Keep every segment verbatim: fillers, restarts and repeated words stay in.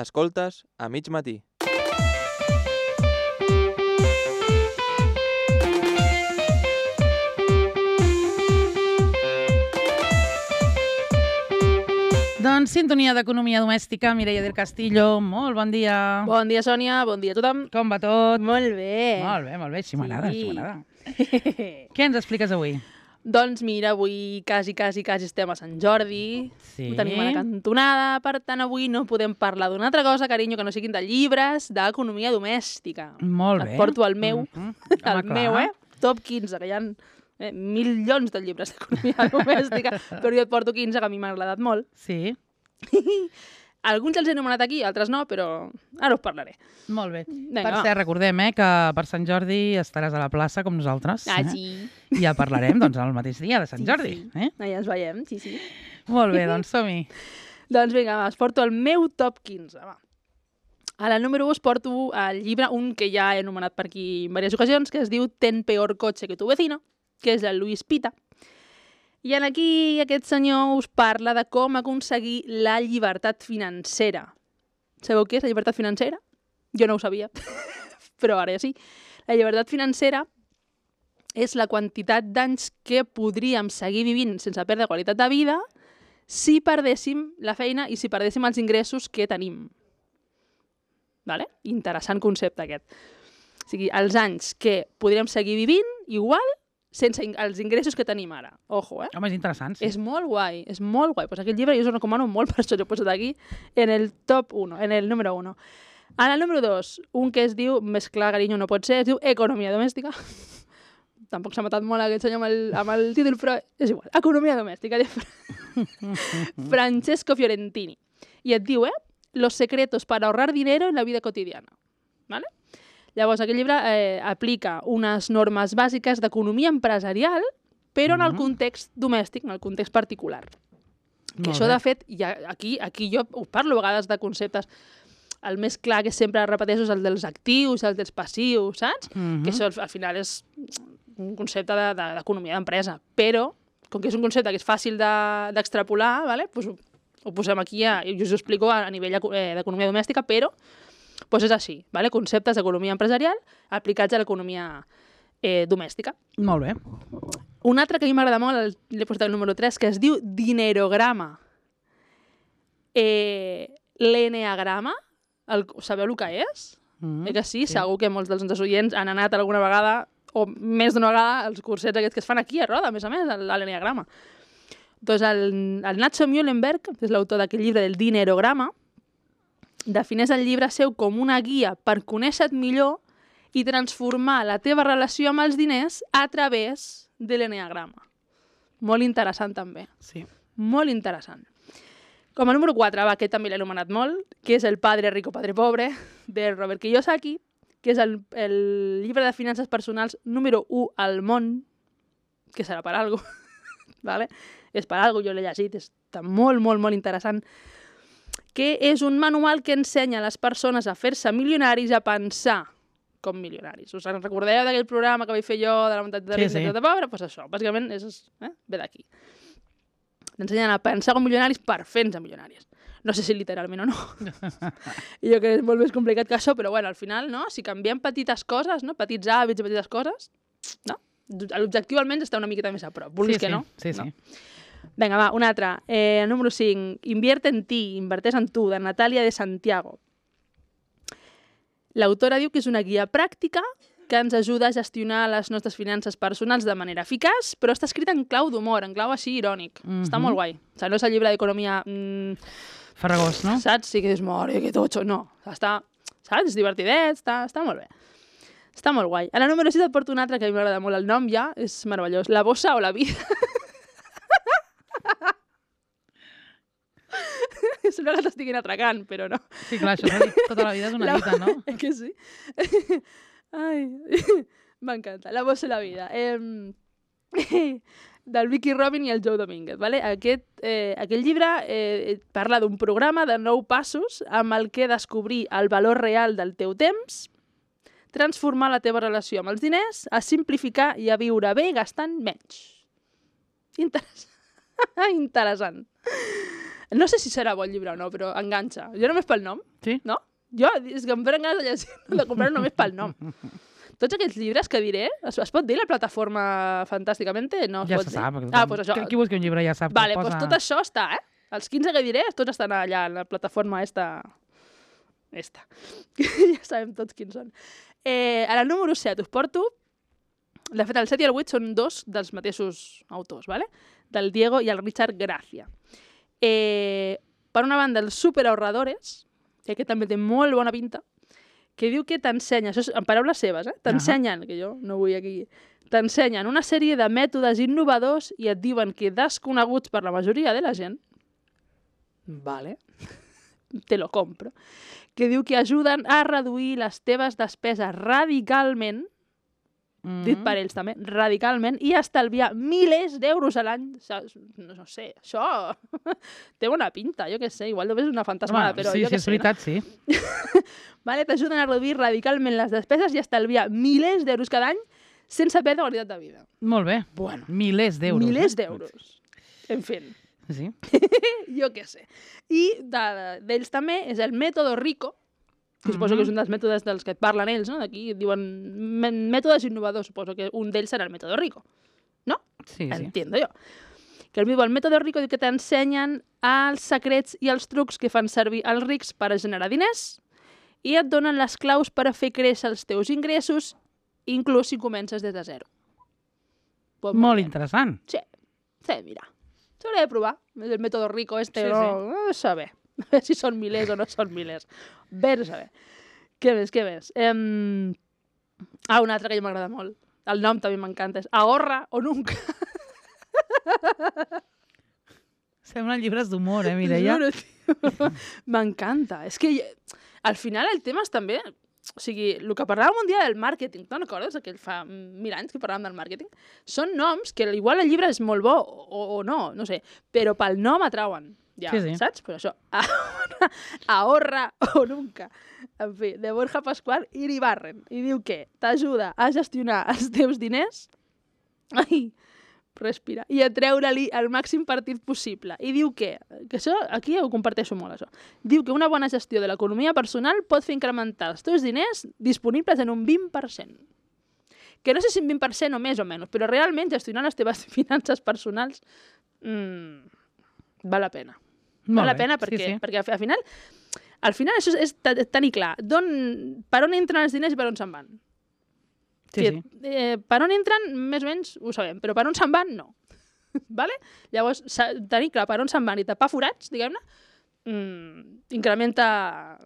Escoltes a mig matí. Doncs sintonia d'economia domèstica, Mireia del Castillo, molt bon dia. Bon dia, Sònia, bon dia a tothom. Com va tot? Molt bé. Molt bé, molt bé, així m'agrada, Sí. així m'agrada. Què ens expliques avui? Doncs mira, avui quasi, quasi, quasi estem a Sant Jordi. Sí. Ho tenim a la cantonada, per tant avui no podem parlar d'una altra cosa, carinyo, que no siguin de llibres d'economia domèstica. Molt bé. Et porto el meu, Mhm. el Home, clar. meu, eh? Top quinze, que hi ha eh, milions de llibres d'economia domèstica, però jo et porto quinze, que a mi m'ha agradat molt. Sí, Alguns els he anomenat aquí, altres no, però ara us parlaré. molt bé. Vinga, per va. cert, recordem eh, que per Sant Jordi estaràs a la plaça com nosaltres. Ah, eh? sí. I ja parlarem doncs, el mateix dia de Sant Sí, Jordi. sí. Eh? Allà ens veiem, sí, sí. Molt bé, doncs som-hi. Doncs vinga, va, us porto el meu top quinze, va. A la número u us porto el llibre, un que ja he anomenat per aquí en diverses ocasions, que es diu Ten peor coche que tu vecino, que és el Luis Pita. I en aquí aquest senyor us parla de com aconseguir la llibertat financera. Sabeu què és la llibertat financera? Jo no ho sabia, però ara ja sí. La llibertat financera és la quantitat d'anys que podríem seguir vivint sense perdre qualitat de vida si perdéssim la feina i si perdéssim els ingressos que tenim. Vale? Interessant concepte aquest. O sigui, els anys que podríem seguir vivint igual sense in- els ingressos que tenim ara. Ojo, eh? Home, és interessant, sí. És molt guai, és molt guai. Pues aquest llibre jo us el recomano molt, per això l'he posat aquí en el top uno, en el número uno. En el número dos, un que es diu, més clar, carinyo, no pot ser, es diu Economia domèstica. Tampoc s'ha matat molt aquest senyor amb el, amb el títol, però és igual. Economia domèstica, de Francesco Fiorentini. I et diu, eh? Los secretos para ahorrar dinero en la vida cotidiana. ¿Vale? Llavors, aquest llibre eh, aplica unes normes bàsiques d'economia empresarial, però en el Mhm. context domèstic, en el context particular. Que Molt això, bé. de fet, ja, aquí, aquí jo us parlo a vegades de conceptes. El més clar que sempre repeteixo és el dels actius, el dels passius, saps? Mhm. Que això al, al final és un concepte de- de- d'economia de, d'empresa. Però, com que és un concepte que és fàcil de- d'extrapolar, vale? Pues ho, ho posem aquí a, i us ho explico a, a nivell eco- eh, d'economia domèstica, però pues és així, vale? Conceptes d'economia empresarial aplicats a l'economia eh, domèstica. Molt bé. Un altre que a mi m'agrada molt, el- l'he posat el número tres, que es diu dinerograma. Eh, L'eneagrama, el, sabeu el que és? Mhm. Eh que sí? sí? Segur que molts dels nostres oients han anat alguna vegada, o més d'una vegada, als cursets aquests que es fan aquí a Roda, a més a més, a l'eneagrama. Doncs el, el Nacho Muhlenberg, que és l'autor d'aquest llibre del dinerograma, defineix el llibre seu com una guia per conèixer-te millor i transformar la teva relació amb els diners a través de l'eneagrama. Molt interessant, també. Sí. Molt interessant. Com a número quatre, va, aquest també l'he anomenat molt, que és El padre rico, padre pobre, de Robert Kiyosaki, que és el, el llibre de finances personals número u al món, que serà per algo, vale? És per algo, jo l'he llegit, està molt, molt, molt interessant, que és un manual que ensenya a les persones a fer-se milionaris, a pensar com milionaris. Us en recordeu d'aquell programa que vaig fer jo de la mentalitat de Sí, ric i sí. de pobre? Doncs pues això, bàsicament és, eh? ve d'aquí. T'ensenyen a pensar com milionaris per fer-nos milionaris. No sé si literalment o no. I jo crec que és molt més complicat que això, però bueno, al final, no? Si canviem petites coses, no? Petits hàbits i petites coses, no? L'objectiu almenys està una miqueta més a prop. Vulguis sí, que no? Sí, sí. No. Vinga, va, un altre. Eh, número cinc. Invierte en ti, inverteix en tu, de Natàlia de Santiago. L'autora diu que és una guia pràctica que ens ajuda a gestionar les nostres finances personals de manera eficaç, però està escrita en clau d'humor, en clau així irònic. Mhm. Està molt guai. O sigui, no és el llibre d'economia, mm, Farragós, no? saps? Sí que és mare, que totxo. No, està, saps? És divertidet, està, està molt bé. Està molt guai. A la número sis et porto un altre que a mi m'agrada molt. El nom ja és meravellós. La bossa o la vida. Sembla que t'estiguin atracant, però no. Sí, clar, això s'ha dit tota la vida és una La- dita, no? Eh que sí? Ai, m'encanta. La bossa i la vida. Eh, del Vicky Robin i el Joe Domínguez. Vale? Aquest, eh, aquest llibre eh, parla d'un programa de nou passos amb el que descobrir el valor real del teu temps, transformar la teva relació amb els diners, a simplificar i a viure bé gastant menys. Interessant. Interessant. No sé si serà bon llibre o no, però enganxa. Jo només pel nom, Sí? no? Jo, és que em prenen ganes de llegir, de comprar només pel nom. Tots aquests llibres que diré, es, es pot dir la plataforma Fantàsticament? No es Ja pot se dir? sap. Ah, doncs això. Qui, qui busca un llibre ja sap. Vale, que doncs posa... tot això està, eh? Els quinze que diré, tots estan allà, en la plataforma esta. Esta. Ja sabem tots quins són. Eh, a la número set us porto... De fet, el set i el vuit són dos dels mateixos autors, ¿vale? Del Diego i el Richard Gracia. Eh, per una banda, els superahorradores, que aquest també té molt bona pinta, que diu que t'ensenya, això és en paraules seves, eh? T'ensenyen, que jo no vull aquí, t'ensenyen una sèrie de mètodes innovadors i et diuen que desconeguts per la majoria de la gent, vale, te lo compro, que diu que ajuden a reduir les teves despeses radicalment, Mm. dit per ells també, radicalment, i estalviar milers d'euros a l'any. No, no sé, això té bona pinta, jo què sé, igual només és una fantasmada, Home, però sí, jo sí, què és sé. veritat, sí. Vale, t'ajuden a reduir radicalment les despeses i estalviar milers d'euros cada any sense perdre qualitat de vida. Molt bé. Bueno, Milers d'euros. milers eh? d'euros. En fi, Sí. jo què sé. I de- d'ells també és el mètode Rico, que suposo que és un dels mètodes dels que et parlen ells, no? D'aquí diuen mè- mètodes innovadors, suposo que un d'ells serà el mètode Rico, no? Sí, sí. Entiendo jo. Que el, el mètode Rico diu que t'ensenyen els secrets i els trucs que fan servir els rics per a generar diners i et donen les claus per a fer créixer els teus ingressos, inclús si comences des de zero. Pues Molt bé. interessant. Sí, sí, mira. S'hauria de provar. El mètode Rico este, Sí, no, no saber. A veure si són milers o no són milers. Vés a saber. Què més, què més? Em... Ah, un altre que a mi m'agrada molt. El nom també m'encanta. És Ahorra o Nunca. Semblen llibres d'humor, eh, Mireia? Juro, tio. M'encanta. És que al final el tema és també... O sigui, el que parlàvem un dia del màrqueting, te'n recordes? Aquell fa mil anys que parlàvem del màrqueting. Són noms que igual el llibre és molt bo o, o no, no sé, però pel nom atrauen. Ja, Sí, sí. saps? Però això, ahorra, ahorra o nunca. En fi, de Borja Pascual i Iribarren. I diu que t'ajuda a gestionar els teus diners, ai, respira, i a treure-li el màxim partit possible. I diu que, que això, aquí ho comparteixo molt, això, diu que una bona gestió de l'economia personal pot fer incrementar els teus diners disponibles en un vint per cent. Que no sé si un vint per cent o més o menys, però realment gestionar les teves finances personals mmm, val la pena. Molt Val la bé, pena sí, perquè, sí. perquè al final, al final això és, és te- tenir clar d'on, per on entren els diners i per on se'n van. Sí, que, sí. Eh, per on entren, més o menys ho sabem, però per on se'n van, no. vale? Llavors, s'ha- tenir clar per on se'n van i tapar forats, diguem-ne, mm, incrementa...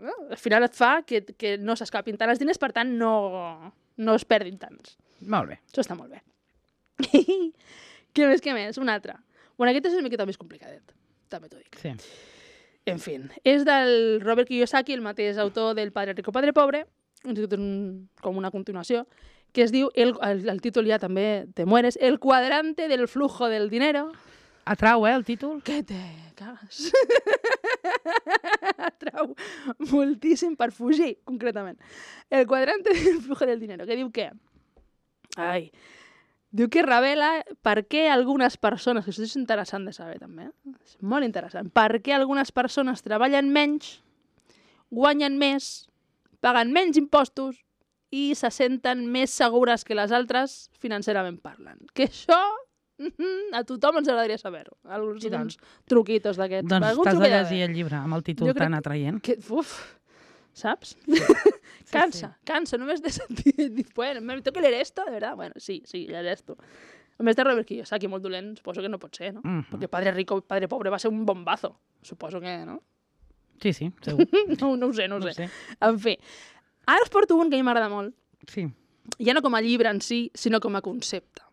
No? Al final et fa que, que no s'escapin tant els diners, per tant, no, no es perdin tants. Molt bé. Això està molt bé. Què més, què més? Un altre. Bueno, aquest és una miqueta més complicadet, també t'ho dic. Sí. En fi, és del Robert Kiyosaki, el mateix autor del Padre Rico, Padre Pobre, un, com una continuació, que es diu, el, el, el títol ja també te mueres, El cuadrante del flujo del dinero. Atrau, eh, el títol? Que te cagas. Atrau moltíssim per fugir, concretament. El cuadrante del flujo del dinero, que diu que... Ai... Diu que revela per què algunes persones, que això és interessant de saber també, eh? És molt interessant, per què algunes persones treballen menys, guanyen més, paguen menys impostos i se senten més segures que les altres financerament parlant. Que això a tothom ens agradaria saber-ho. Alguns I tant. uns truquitos d'aquests. Doncs Algun t'has de truquet llegir d'haver. el llibre amb el títol Jo crec tan atraient. Que, uf, saps? Sí, Cansa, cansa, només de sentir... dir, Bueno, me tengo que leer esto, de verdad? Bueno, sí, sí, leer esto. A més de Robert Kiyosaki, molt dolent, suposo que no pot ser, no? Mhm. Perquè Padre Rico i Padre Pobre va ser un bombazo. Suposo que, no? Sí, sí, segur. No, no ho sé, no ho No sé. sé. En fi, ara us porto un que a mi m'agrada molt, Sí. ja no com a llibre en si, sinó com a concepte,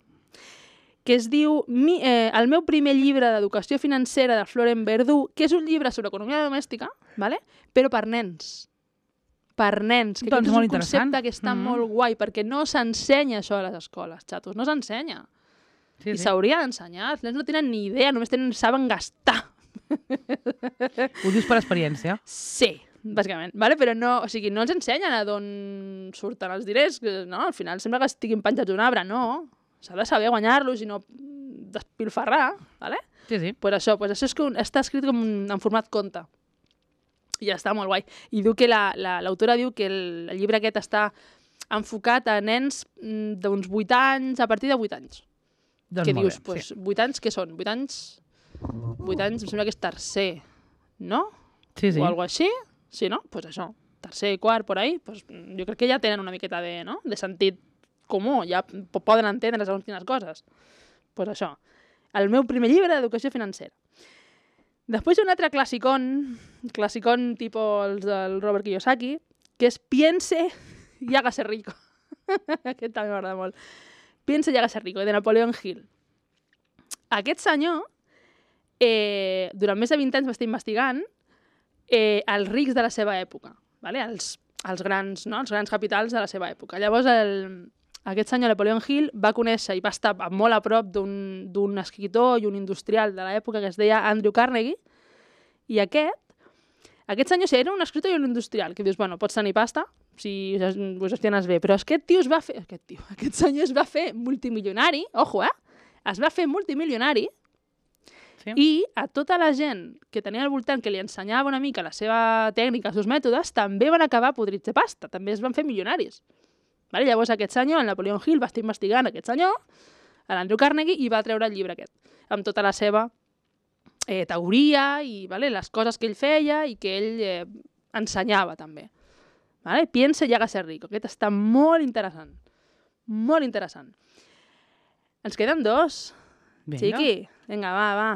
que es diu mi, eh, El meu primer llibre d'educació financera de Florent Verdú, que és un llibre sobre economia domèstica, vale? Però per nens. Per nens, que Doncs aquest és molt un interessant. concepte que està Mhm. molt guai, perquè no s'ensenya això a les escoles, xatos, no s'ensenya. Sí, I sí. s'hauria d'ensenyar, els nens no tenen ni idea, només tenen, saben gastar. Ho dius per experiència? Sí, bàsicament, vale? Però no, o sigui, no els ensenyen a d'on surten els diners, que, no? Al final sembla que estiguin penjats d'un arbre, no. S'ha de saber guanyar-los i no despilfarrar, vale? Sí, sí. Pues això, pues això és que un, està escrit com un, en format conte. I està molt guai. I diu que la, la, l'autora diu que el, el llibre aquest està enfocat a nens mm, d'uns vuit anys, a partir de vuit anys. Doncs que molt dius, bé, pues, sí. vuit anys què són? vuit anys? vuit anys, em sembla que és tercer, no? Sí, sí. O alguna així? Sí, no? Doncs pues això, tercer, quart, por ahí, pues, jo crec que ja tenen una miqueta de, no? de sentit comú, ja p- poden entendre segons quines coses. Doncs pues això, el meu primer llibre d'educació financera. Després hi ha un altre classicón, classicón tipus els del Robert Kiyosaki, que és Piense y hágase rico. Aquest també m'agrada molt. Piense y hágase rico, de Napoleon Hill. Aquest senyor, eh, durant més de vint anys va estar investigant eh, els rics de la seva època, vale? els, els, grans, no? els grans capitals de la seva època. Llavors, el, aquest senyor Napoleon Hill va conèixer i va estar molt a prop d'un, d'un escriptor i un industrial de l'època que es deia Andrew Carnegie, i aquest, aquest senyor sí, era un escriptor i un industrial, que dius, bueno, pots tenir pasta, si ho gestiones bé, però aquest tio es va fer, aquest tio, aquest senyor es va fer multimilionari, ojo, eh? Es va fer multimilionari, Sí. i a tota la gent que tenia al voltant que li ensenyava una mica la seva tècnica, els seus mètodes, també van acabar podrits de pasta, també es van fer milionaris. Vale? Llavors aquest senyor, el Napoleon Hill, va estar investigant aquest senyor, l'Andrew Carnegie, i va treure el llibre aquest, amb tota la seva eh, teoria i vale, les coses que ell feia i que ell eh, ensenyava també. Vale? Piensa y hágase rico. Aquest està molt interessant. Molt interessant. Ens queden dos. Vinga. Chiqui, vinga, va, va.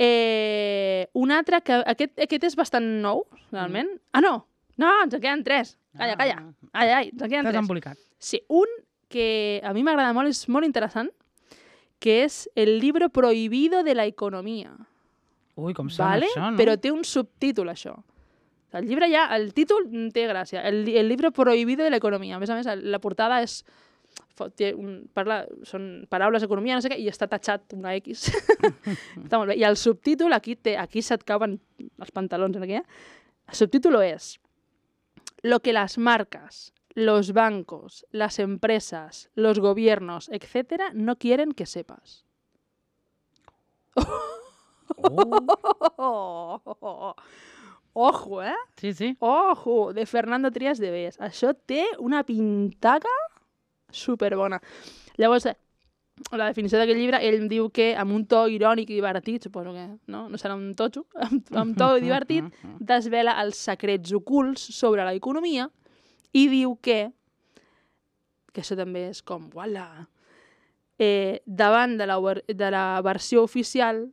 Eh, un altre que... Aquest, aquest és bastant nou, realment. Mm. Ah, no! No, ens en queden tres. Calla, calla. Ai, ai, ens en queden T'has tres. embolicat. Sí, un que a mi m'agrada molt, és molt interessant, que és El libro prohibido de la economía. Ui, com sona ¿Vale? això, no? Però té un subtítol, això. El llibre ja, el títol té gràcia. El, el libro prohibido de la economía. A més a més, la portada és... Té un, parla, són paraules d'economia, no sé què, i està tatxat una X. Està molt bé. I el subtítol, aquí, té, aquí se't cauen els pantalons. Aquí, eh? El subtítol és Lo que las marcas, los bancos, las empresas, los gobiernos, etcétera, no quieren que sepas. Oh. Ojo, eh? Sí, sí. Ojo, de Fernando Trias de Bes. Això té una pintaca superbona. Llavors, eh, la definició d'aquest llibre, ell diu que amb un to irònic i divertit, suposo que no, no serà un totxo, amb, amb to divertit, desvela els secrets ocults sobre l'economia i diu que, que això també és com, uala, eh, davant de la, de la versió oficial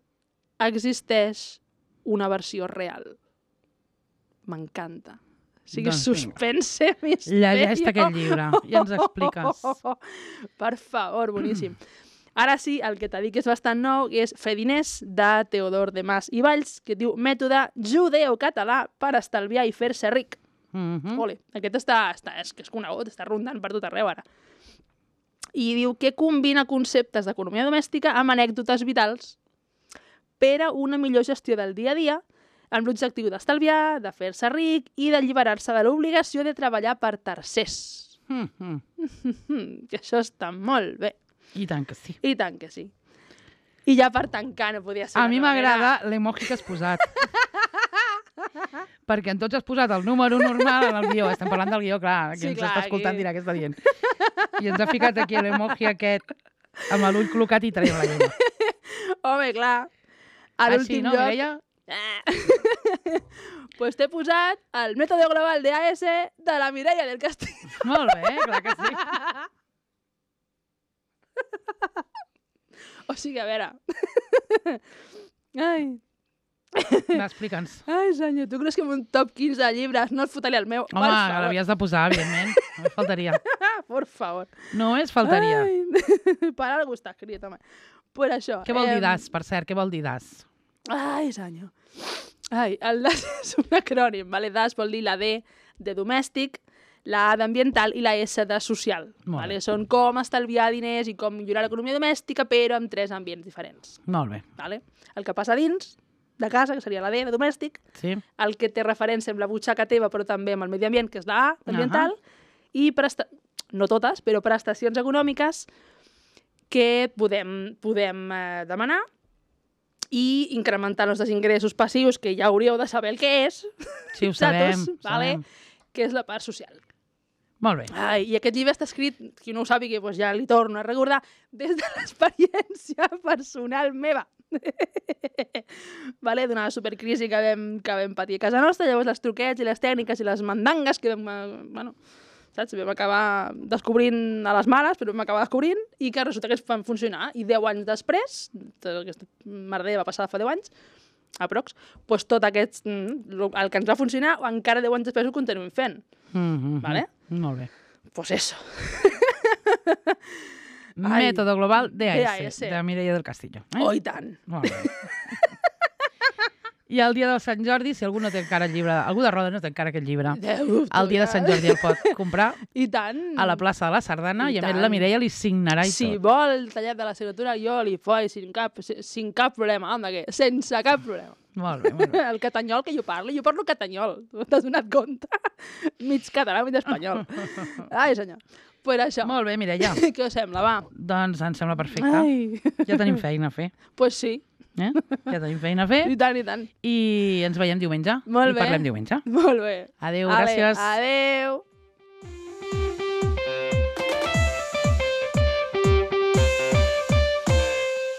existeix una versió real. M'encanta. O sigui, Doncs suspense, misteri. Llegeix aquest llibre i ens expliques. Per favor, boníssim. Ara sí, el que t'ha dit que és bastant nou és Fer diners, de Teodor de Mas i Valls, que diu Mètode judeo-català per estalviar i fer-se ric. Mm -hmm. Ole, aquest està, està, és, és conegut, està rondant per tot arreu ara. I diu que combina conceptes d'economia domèstica amb anècdotes vitals per a una millor gestió del dia a dia, amb l'objectiu d'estalviar, de fer-se ric i d'alliberar-se de l'obligació de treballar per tercers. Mm -hmm. Que això està molt bé. I tant que sí. I tant que sí. I ja per tancar no podia ser. A mi m'agrada l'emoji que has posat. Perquè en tots has posat el número normal en el guió. Estem parlant del guió, clar. Qui Sí, ens clar, està escoltant aquí. dirà què està dient. I ens ha ficat aquí l'emoji aquest amb l'ull col·locat i traient la llengua. Home, clar. A Així, l'últim no, lloc... Mireia? Pues t'he posat el mètode global de A S de la Mireia del Castillo. Molt bé, clar que sí. O sigui, a veure... Ai... Va, explica'ns. Ai, senyor, tu creus que amb un top quinze de llibres no et fotaria el meu? Home, Per favor. l'havies de posar, evidentment. Només faltaria. Por favor. Només faltaria. Ai. Per algú està escrit, home. Per això. Què vol eh, dir D A S, per cert? Què vol dir D A S? Ai, senyor. Ai, el D A S és un acrònim, vale? D A S vol dir la D de domèstic, la A d'ambiental i la S de social. Molt Vale? bé. Són com estalviar diners i com millorar l'economia domèstica, però amb tres ambients diferents. Molt bé. Vale? El que passa dins de casa, que seria la D de domèstic, Sí? el que té referència amb la butxaca teva, però també amb el medi ambient, que és la A, ambiental, i presta... no totes, però prestacions econòmiques que podem, podem eh, demanar i incrementar els ingressos passius, que ja hauríeu de saber el que és. Sí, ho sabem. Saps? Vale? sabem. Que és la part social. Molt bé. Ai, I aquest llibre està escrit, qui no ho sàpiga, doncs ja li torno a recordar, des de l'experiència personal meva. vale? D'una supercrisi que vam, que vam patir a casa nostra, llavors les truquets i les tècniques i les mandangues que vam, eh, bueno, saps? Vam acabar descobrint a les mares, però vam acabar descobrint, i que resulta que es van funcionar. I deu anys després, aquesta merder va passar fa deu anys, aprox, doncs tot aquest, el que ens va funcionar, encara deu anys després ho continuem fent. Mm -hmm. Vale? Molt bé. Pues eso. Método global D A S, D A S. de Mireia del Castillo. Eh? Oh, i tant. Molt bé. I el dia del Sant Jordi, si algú no té encara el llibre, algú de Roda no té encara aquest llibre, Déu, el dia de Sant Jordi el pot comprar I tant. a la plaça de la Sardana i, I a més tant. la Mireia li signarà i Si tot. vol el tallat de la signatura, jo li faig sin cap, sin cap problema, anda, que sense cap problema. Molt bé, molt bé. El catanyol que jo parlo, jo parlo catanyol, t'has donat compte? Mig català, mig espanyol. Ai, senyor. Pues això. Molt bé, Mireia. Què us sembla, va? Doncs em sembla perfecte. Ai. Ja tenim feina a fer. Pues sí. Eh? Ja tenim feina a fer I tant, i tant. i ens veiem diumenge. Molt I bé. parlem diumenge. Molt bé. Adéu, Ale, gràcies. Adéu.